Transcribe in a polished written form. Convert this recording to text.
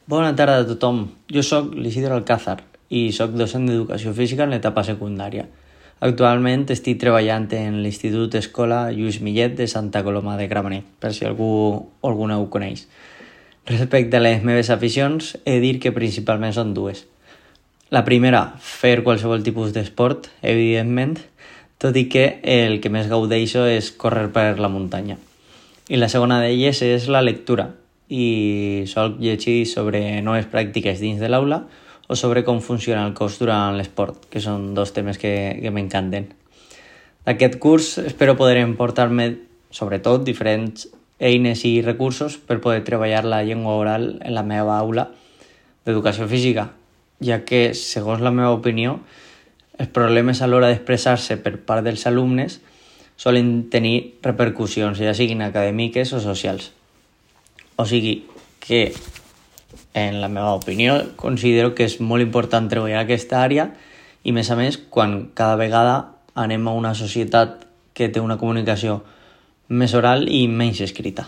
Bona tarda a tothom. Jo sóc l'Isidre Alcázar i sóc docent d'Educació Física en l'etapa secundària. Actualment estic treballant en l'Institut Escola Lluís Millet de Santa Coloma de Gramenet, per si algú o alguna ho coneix. Respecte a les meves aficions, he de dir que principalment són dues. La primera, fer qualsevol tipus d'esport, evidentment, tot i que el que més gaudeixo és córrer per la muntanya. I la segona d'elles és la lectura, i solc llegir sobre noves pràctiques dins de l'aula o sobre com funciona el cos durant l'esport, que són dos temes que m'encanten. D'aquest curs espero poder emportar-me, sobretot, diferents eines i recursos per poder treballar la llengua oral en la meva aula d'educació física, ja que, segons la meva opinió, els problemes a l'hora d'expressar-se per part dels alumnes solen tenir repercussions, ja siguin acadèmiques o socials. O sigui que, en la meva opinió, considero que és molt important treballar aquesta àrea i, més a més, quan cada vegada anem a una societat que té una comunicació més oral i menys escrita.